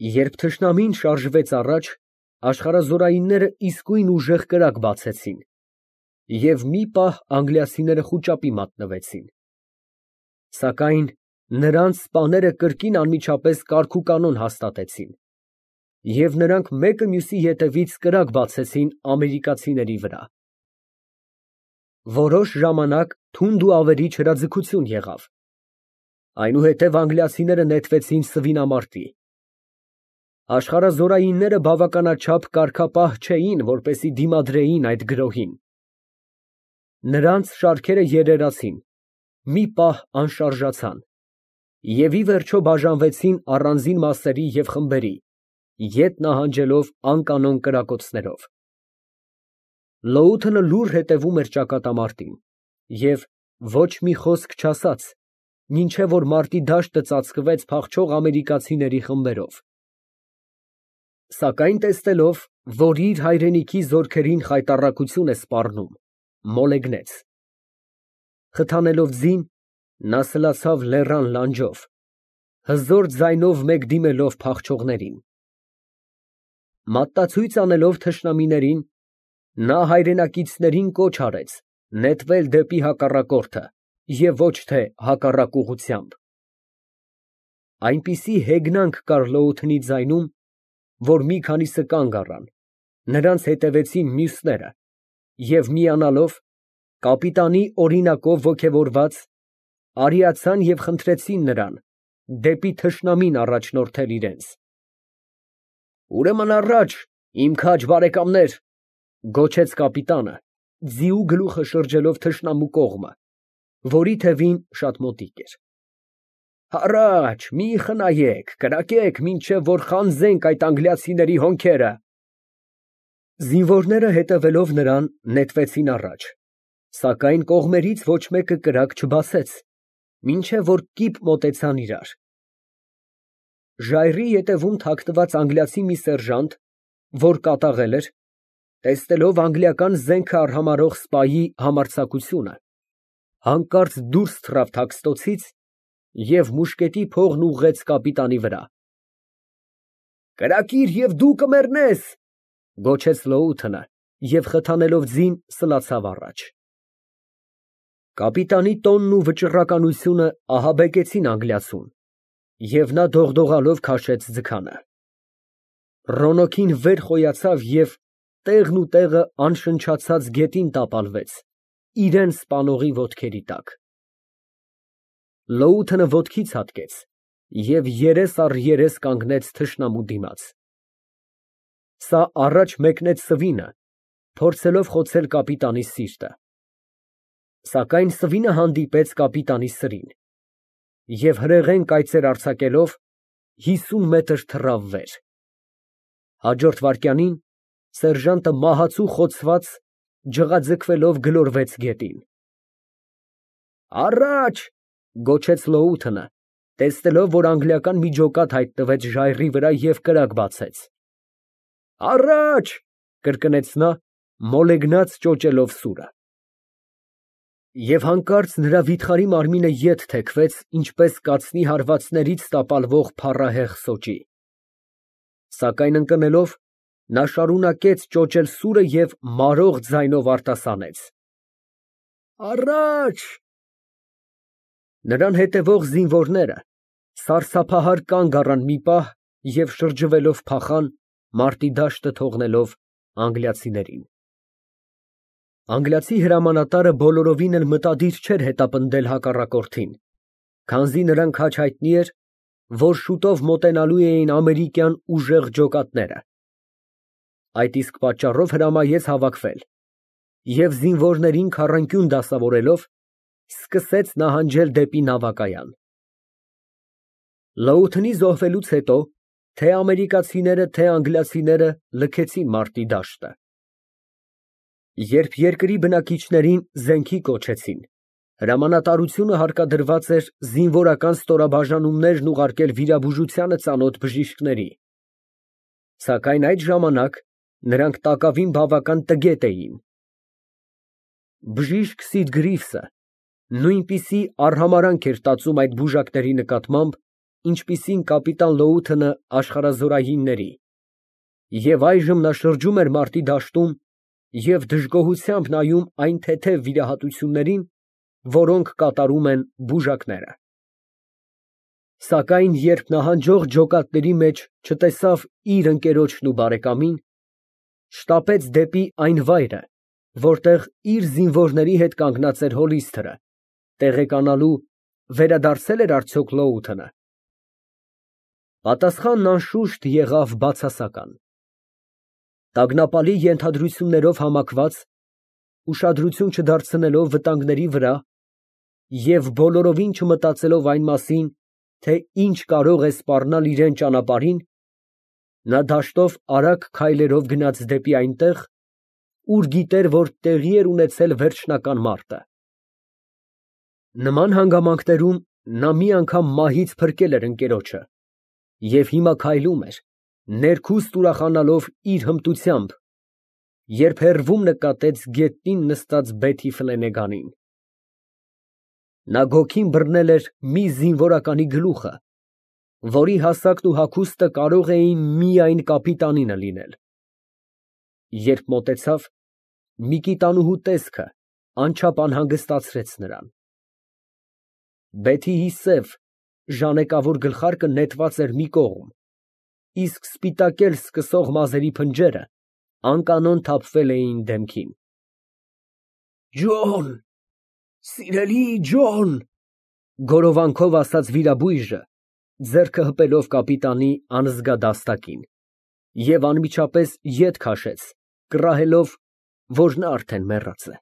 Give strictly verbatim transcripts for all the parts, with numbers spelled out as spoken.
Երբ թշնամին շարժվեց առաջ, աշխարհազորայինները իսկույն ուժեղ կրակ բացեցին, և մի պահ անգլիացիները խուճապի մատնվեցին, սակայն նրանց սպաները կրկին անմիջապես կարգուկանոն հաստատեցին, և նրանք մեկը մյուսի ետևից կրակ բացեցին ամերիկացիների վրա։ Որոշ ժամանակ թունդ ու ավերիչ հրաձգություն եղավ, այնուհետև անգլիացիները նետվեցին սվինամարտի։ Աշխարհազորայինները բավականաչափ կարգապահ չէին, որպեսզի դիմադրեին այդ գրոհին։ Նրանց շարքերը երերացին, մի պահ անշարժացան և ի վերջո բաժանվեցին առանձին մասերի և խմբերի, ետ նահանջելով անկանոն կրակոցներով։ Լոութենը լուռ հետևում էր ճակատամարտին և ոչ մի խոսք չասաց, մինչև որ մարտի դաշտը ծածկվեց փախչող ամերիկացիների խմբերով։ Սակայն տեսնելով, որ իր հայրենիքի զորքերին խայտառակություն է սպառնում, մոլեգնեց։ Խթանելով ձին, նա սլացավ լեռան լանջով, հզոր ձայնով մեկ դիմելով փախչողներին։ Մատնացույց անելով թշնամիներին, նա հայրենակիցներին կոչ արեց նետվել դեպի հակառակորդը և ոչ թե հակառակ ուղղությամբ։ Այնպիսի հեգնանք կար Լոութենի ձայնում, որ մի քանիսը կանգ առան, նրանց հետևեցին մյուսները և միանալով, կապիտանի օրինակով ոգևորված, արիացան և խնդրեցին նրան դեպի թշնամին առաջնորդել իրենց։ «Ուրեմն առաջ, իմ քաջ բարեկամներ», ֊ գոչեց կապիտանը, ձիու գլուխը շրջելով թշնամու կողմը, որի թևին շատ մոտիկ էր։ «Առաջ, մի խնայեք, կրակեք, մինչև որ խանձենք այդ անգլիացիների հոնքերը»։ Զինվորները հետևելով նրան, նետվեցին առաջ, սակայն կողմերից ոչ մեկը կրակ չբացեց, մինչև որ կիպ մոտեցան իրար։ Ժայռի ետևում թաքնված անգլիացի մի սերժանտ, որ կատաղել էր, տեսնելով անգլիական զենքը արհամարհող սպայի համարձակությունը, հանկարծ դուրս թռավ թաքստոցից և մուշկետի փողն ուղղեց կապիտանի վրա։ «Կրակիր և դու կմեռնես», ֊ գոչեց Լոութենը և խթանելով ձին սլացավ առաջ։ Կապիտանի տոնն ու վճռականությունը ահաբեկեցին անգլիացուն, և նա դողդողալով քաշեց ձգանը։ Ռոնոկին վեր խոյացավ և տեղն ու տեղը անշնչացած գետին տապալվեց իրան սպանողի ոտքերի տակ։ Լոութենը ոտքից հատկեց և երես առ երես կանգնեց թշնամու դիմաց։ Սա առաջ մեկնեց սվինը, փորձելով խոցել կապիտանի սիրտը։ Սակայն սվինը հանդիպեց կապիտանի սրին և հրեղեն կայծեր արձակելով հիսուն մետր թռավ վեր։ Հաջորդ վայրկյանին սերժանտը մահացու խոցված, ջղաձգվելով գլորվեց գետին։ «Առաջ», ֊ գոչեց Լոութենը, տեսնելով, որ անգլիական մի ջոկատ հայտնվեց ժայռի վրա և կրակ բացեց։ «Առաջ», ֊ կրկնեց նա, մոլեգնած ճոճելով սուրը։ Եվ հանկարծ նրա վիթխարի մարմինը ետ թեքվեց, ինչպես կացնի հարվածներից տապալվող փառահեղ սոճի։ Սակայն ընկնելով, նա շարունակեց ճոճել սուրը և մարող ձայնով արտասանեց. «Առաջ»։ Նրան հետևող զինվորները սարսափահար կանգ առան մի պահ և շրջվելով փախան, մարտի դաշտը թողնելով անգլիացիներին։ Անգլիացի հրամանատարը բոլորովին էլ մտադիր չէր հետապնդել հակառակորդին, քանզի նրան քաջ հայտնի էր, որ շուտով մոտենալու էին ամերիկյան ուժեղ ջոկատները։ Այդ իսկ պատճառով հրամայեց հավաքվել և զինվորներին քառանկյուն դասավորելով, սկսեց նահանջել դեպի նավակայան։ Լոութենի զոհվելուց հետո թե՛ ամերիկացիները, թե՛ անգլիացիները լքեցին մարտի դաշտը։ Երբ երկրի բնակիչներին զենքի կոչեցին, հրամանատարությունը հարկադրված էր զինվորական ստորաբաժանումներն ուղարկել վիրաբուժությանը ծանոթ բժիշկների, սակայն այդ ժամանակ նրանք տակավին բավական տգետ էին։ Բժիշկ Սիդ Գրիվսը նույնպիսի արհամարհանք էր տածում այդ բուժակների նկատմամբ, ինչպիսին կապիտան Լոութընը աշխարհազորայինների, և այժմ նա շրջում էր մարտի դաշտում և դժգոհությամբ նայում այն թեթև վիրահատություններին, որոնք կատարում են բուժակները։ Սակայն երբ նահանջող ջոկատների մեջ չտեսավ իր ընկերոջն ու բարեկամին, շտապեց դեպի այն վայրը, որտեղ իր զինվորների հետ կանգնած էր հոլիսթերը, տեղեկանալու վերադարձե՞լ էր արդյոք Լոութընը։ Պատասխանն անշուշտ եղավ բացասական։ Տագնապալի ենթադրություններով համակված, ուշադրություն չդարձնելով վտանգների վրա և բոլորովին չմտածելով այն մասին, թե ինչ կարող է սպառնալ իրան ճանապարհին, նա դաշտով արագ քայլերով գնաց դեպի այնտեղ, ուր գիտեր, որ տեղի էր ունեցել վերջնական մարտը։ Նման հանգամանքներում նա մի անգամ մահից փրկել էր ընկերոջը և հիմա քայլում էր, ներքուստ ուրախանալով իր հմտությամբ, երբ հեռվում նկատեց գետնին նստած Բեթի ֆլենեգանին։ Նա գոգին բռնել էր մի զինվորականի գլուխը, որի հասակն ու հագուստը կարող էին միայն կապիտանինը լինել։ Երբ մոտեցավ, Միկիտանուհու տեսքը անչափ անհանգստացրեց նրան։ Բեթիի սև, ժանեկավոր գլխարկը նետված էր մի կողմ, իսկ սպիտակել սկսող մազերի փնջերը անկանոն թափվել էին դեմքին։ «Ջոն, սիրելի Ջոն», գորովանքով ասաց վիրաբույժը, ձեռքը հպելով կապիտանի անզգա դաստակին, և անմիջապես ետ քաշեց, կռահելով, որ նա արդեն մեռած է։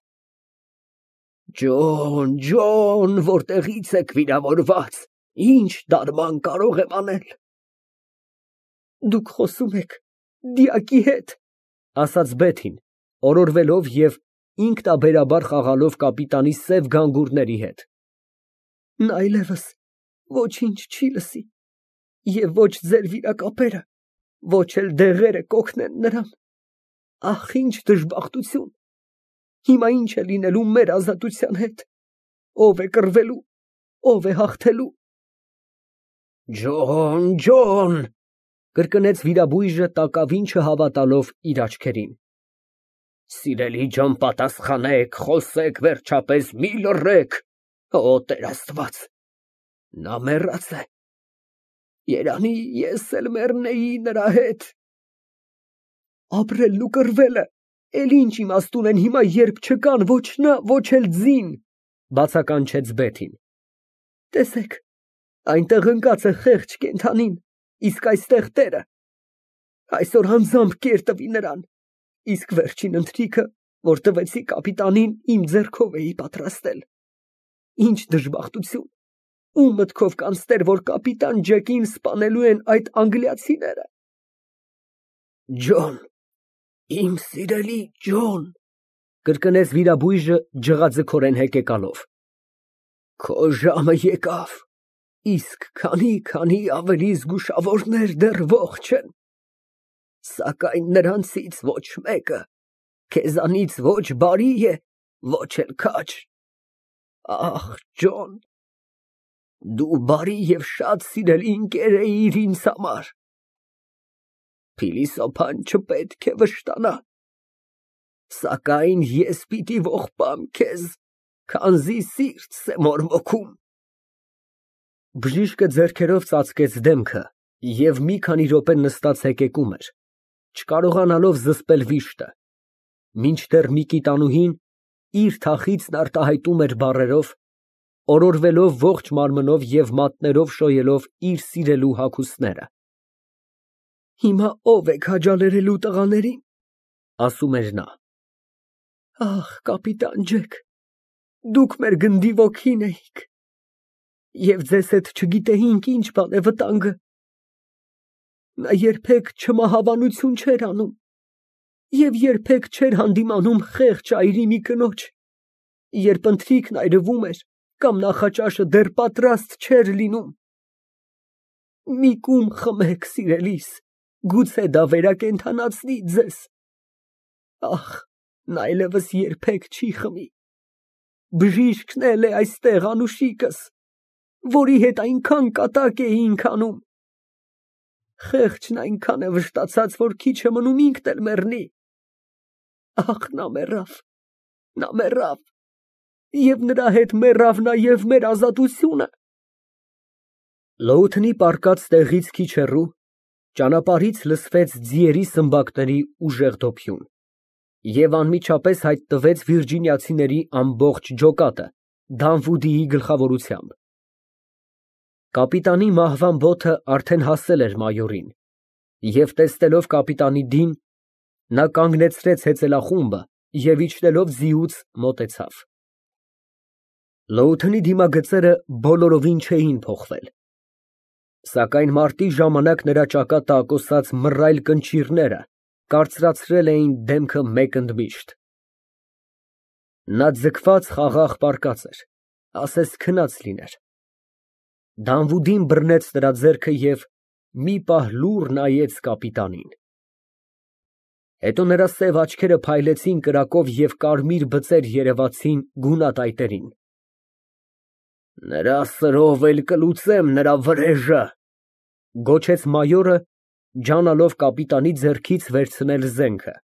«Ջոն, Ջոն, որտեղի՞ց եք վիրավորված, ի՞նչ դարման կարող եմ անել»։ «Դուք խոսում եք դիակի հետ», ասաց Բեթին, օրորվելով և ինքնաբերաբար խաղալով կապիտանի սև գանգուրների հետ։ «Նա այլևս ոչինչ չի լսի, և ոչ ձեր վիրակապերը, ոչ էլ դեղերը կօգնեն նրան։ Ահ, ինչ դժբախտություն։ Հիմա ի՞նչ է լինելու մեր ազատության հետ, ո՞վ է կռվելու, ո՞վ է հաղթելու»։ «Ջոն, Ջոն», կրկնեց վիրաբույժը տակավին չհավատալով իր աչքերին։ «Սիրելի ջան, պատասխանեք, խոսեք վերջապես, մի լռեք, օ Տեր Աստված, նա մեռած է։ Երանի ես էլ մեռնեի նրա հետ»։ «Ապրելն ու կռվելը էլ ինչ իմաստ ունեն հիմա, երբ չկան ոչ նա, ոչ էլ ձին», բացականչեց Բեթին։ «Տեսեք, այնտեղ ընկած է խեղճ կենդանին, իսկ այստեղ տերը։ Այսօր անձամբ կեր տվի նրան, իսկ վերջին ընթրիքը, որ տվեցի կապիտանին, իմ ձեռքով էի պատրաստել։ Ինչ դժբախտություն, ում մտքով կանցներ, որ կապիտան Ջեկին սպանելու են այդ անգլիացիները»։ «Ջոն, իմ սիրելի Ջոն», կրկնեց վիրաբույժը ջղաձգորեն հեկեկալով, «քո ժամը եկավ, իսկ քանի֊քանի ավելի զգուշավորներ դեռ ողջ են, սակայն նրանցից ոչ մեկը քեզանից ոչ բարի է, ոչ էլ քաջ։ Ախ, Ջոն, դու բարի և շատ սիրելի ընկեր էիր ինձ համար։ Փիլիսոփան չպետք է վշտանա, սակայն ես պիտի ողբամ քեզ, քանզի սիրտս է մորմոքում»։ Բժիշկը ձեռքերով ծածկեց դեմքը և մի քանի րոպե նստած հեկեկում էր, չկարողանալով զսպել վիշտը, մինչդեռ Միկիտանուհին իր թախիծն արտահայտում էր բառերով, օրորվելով ողջ մարմնով և մատներով շոյելով իր սիրելու հագուստները։ «Հիմա ո՞վ է քաջալերելու տղաներին», ասում էր նա։ «Ախ, կապիտան Ջեք, դուք մեր գնդի ոգին էիք, և ձեզ հետ չգիտեինք ինչ բան է վտանգը։ Նա երբեք չմահաբանություն չէր անում և երբեք չէր հանդիմանում խեղճ այրի մի կնոջ, երբ ընթրիքն այրվում էր կամ նախաճաշը դեռ պատրաստ չէր լինում։ Մի կում խմեք, սիրելիս, գուցե դա վերակենդանացնի ձեզ։ Ախ, նա այլևս երբեք չի խմի։ Բժիշկն էլ է այստեղ, անուշիկս։ որի հետ այնքան կատակ էինք անում։ Խեղճն այնքան է վշտացած, որ քիչ է մնում ինքն էլ մեռնի։ Ախ, նա մեռավ, նա մեռավ, և նրա հետ մեռավ նաև մեր ազատությունը։ Լոութնի պառկած տեղից քիչ հեռու ճանապարհից լսվեց ձիերի սմբակների ուժեղ դոփյուն, և անմիջապես հայտնվեց վիրջինիացիների ամբողջ ջոկատը Դանվուդիի գլխավորությամբ։ Կապիտանի մահվան բոթը արդեն հասել էր մայորին, և տեսնելով կապիտանի դին, նա կանգնեցրեց հեծելախումբը և իջնելով ձիուց մոտեցավ։ Լոութնի դիմագծերը բոլորովին չէին փոխվել, սակայն մարտի ժամանակ նրա ճակատը ակոսած մռայլ կնճիռները կարծրացրել էին դեմքը մեկ ընդմիշտ։ Նա ձգված խաղաղ պառկած էր, ասես քնած լիներ։ Դանվուդին բռնեց նրա ձեռքը և մի պահ լուռ նայեց կապիտանին։ Հետո նրա սև աչքերը փայլեցին կրակով և կարմիր բծեր երևացին գունատ այտերին։ «Նրա սրով էլ կլուծեմ նրա վրեժը», ֊ գոչեց մայորը, ջանալով կապիտանի ձեռքից վերցնել զենքը։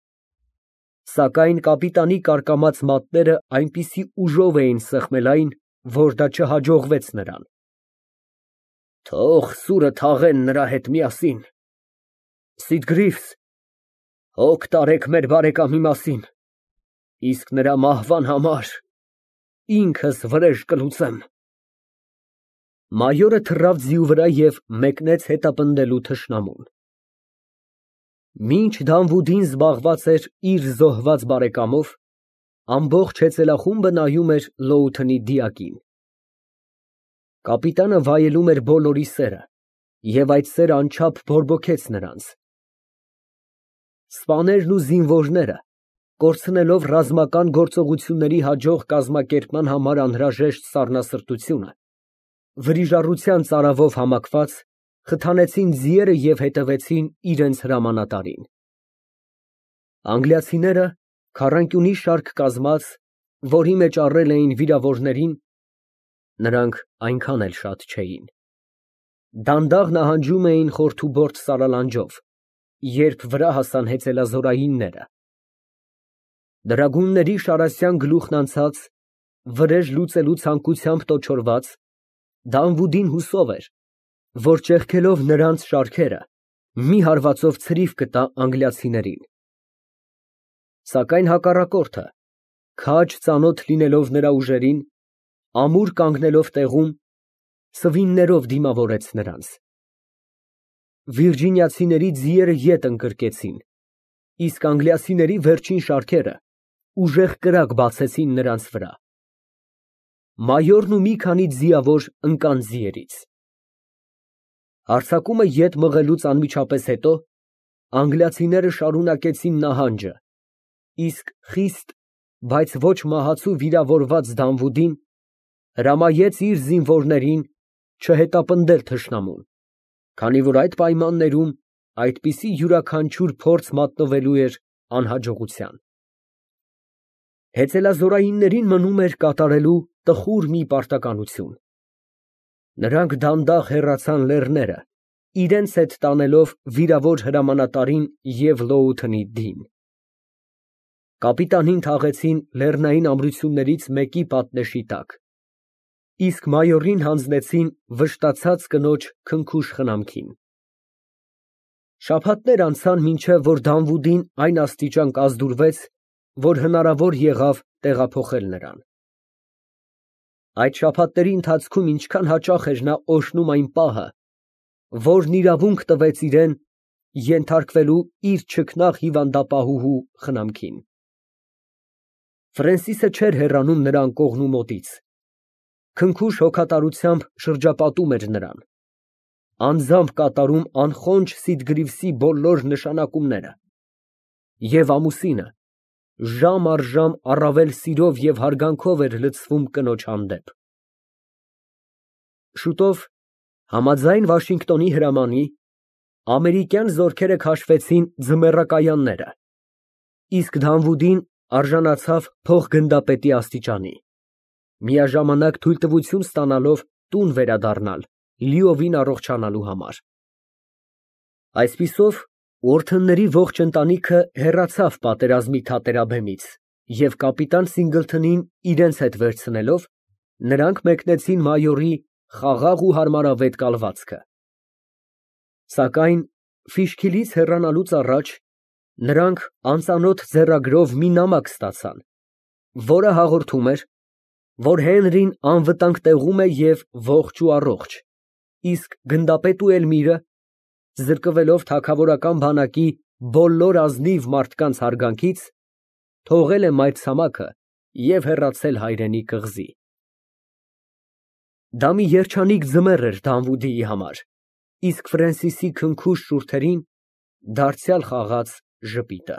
Սակայն կապիտանի կարկամած մատները այնպիսի ուժով էին սեղմել այն, որ դա չհաջողվեց նրան։ «Թող սուրը թաղեն նրա հետ միասին։ Սիտգրիֆս, հոգ տարեք մեր բարեկամի մասին, իսկ նրա մահվան համար ինքս վրեժ կլուծեմ»։ Մայորը թռավ ձիու վրա և մեկնեց հետապնդելու թշնամուն։ Մինչ Դանվուդին զբաղված էր իր զոհված բարեկամով, ամբողջ հեծելախումբը նայում էր Լոութնի դիակին։ Կապիտանը վայելում էր բոլորի սերը, և այդ սերը անչափ բորբոքեց նրանց։ Սպաներն ու զինվորները, կորցնելով ռազմական գործողությունների հաջող կազմակերպման համար անհրաժեշտ սառնասրտությունը, վրիժառության ծարավով համակված, խթանեցին ձիերը և հետևեցին իրենց հրամանատարին։ Անգլիացիները, քառանկյունի շարք կազմած, որի մեջ առել էին վիրավորներին (նրանք այնքան էլ շատ չէին), դանդաղ նահանջում էին խորթուբորտ սարալանջով, երբ վրա հասան հեծելազորայինները։ Դրագունների Շարասյան գլուխն անցած, վրեժ լուծելու ցանկությամբ տոչորված, Դանվուդին հուսով էր, որ ճեղքելով նրանց շարքերը, մի հարվածով ցրիվ կտա անգլիացիներին։ Սակայն հակառակորդը, քաջ ծանոթ լինելով նրա ուժերին, ամուր կանգնելով տեղում, սվիններով դիմավորեց նրանց։ Վիրջինիացիների ձիերը ետ ընկրկեցին, իսկ անգլիացիների վերջին շարքերը ուժեղ կրակ բացեցին նրանց վրա։ Մայորն ու մի քանի ձիավոր ընկան ձիերից։ Հարձակումը ետ մղելուց անմիջապես հետո անգլիացիները շարունակեցին նահանջը, իսկ խիստ, բայց ոչ մահացու վիրավորված Դանվուդին հրամայեց իր զինվորներին չհետապնդել թշնամուն, քանի որ այդ պայմաններում այդպիսի յուրաքանչյուր փորձ մատնվելու էր անհաջողության։ Հեծելազորայիններին մնում էր կատարելու տխուր մի պարտականություն։ Նրանք դանդաղ հեռացան լեռները, իրենց հետ տանելով վիրավոր հրամանատարին և Լոութնի դին։ Կապիտանին թաղեցին լեռնային ամրություններից մեկի պատնեշի տակ, իսկ մայորին հանձնեցին վշտացած կնոջ քնքուշ խնամքին։ Շաբաթներ անցան, մինչև որ Դանվուդին այն աստիճան կազդուրվեց, որ հնարավոր եղավ տեղափոխել նրան։ Այդ շաբաթների ընթացքում ինչքան հաճախ էր նա օրհնում այն պահը, որն իրավունք տվեց իրան ենթարկվելու իր չքնաղ հիվանդապահուհու խնամքին։ Ֆրենսիսը չէր հեռանում նրա անկողնու մոտից, քնքուշ հոգատարությամբ շրջապատում էր նրան, անձամբ կատարում անխոնջ Սիտգրիվսի բոլոր նշանակումները, և ամուսինը ժամ առ ժամ առավել սիրով և հարգանքով էր լցվում կնոջ հանդեպ։ Շուտով, համաձայն Վաշինգտոնի հրամանի, ամերիկյան զորքերը քաշվեցին ձմեռակայանները, իսկ Դանվուդին արժանացավ փոխգնդապետի աստիճանի, միաժամանակ թույլտվություն ստանալով տուն վերադառնալ լիովին առողջանալու համար։ Այսպիսով, Ուորթնների ողջ ընտանիքը հեռացավ պատերազմի թատերաբեմից և կապիտան Սինգլթոնին իրենց հետ վերցնելով, նրանք մեկնեցին մայորի խաղաղ ու հարմարավետ կալվածքը։ Սակայն Ֆիշքիլից հեռանալուց առաջ նրանք անծանոթ ձեռագրով մի նամակ ստացան, որը հաղորդում էր, որ Հենրին անվտանգ տեղում է և ողջ ու առողջ, իսկ գնդապետու Էլմիրը, զրկվելով թագավորական բանակի բոլոր ազնիվ մարդկանց հարգանքից, թողել է մայրցամաքը և հեռացել հայրենի կղզի։ Դա մի երջանիկ ձմեռ էր Դանվուդիի համար, իսկ Ֆրենսիսի քնքուշ շուրթերին դարձյալ խաղաց ժպիտը։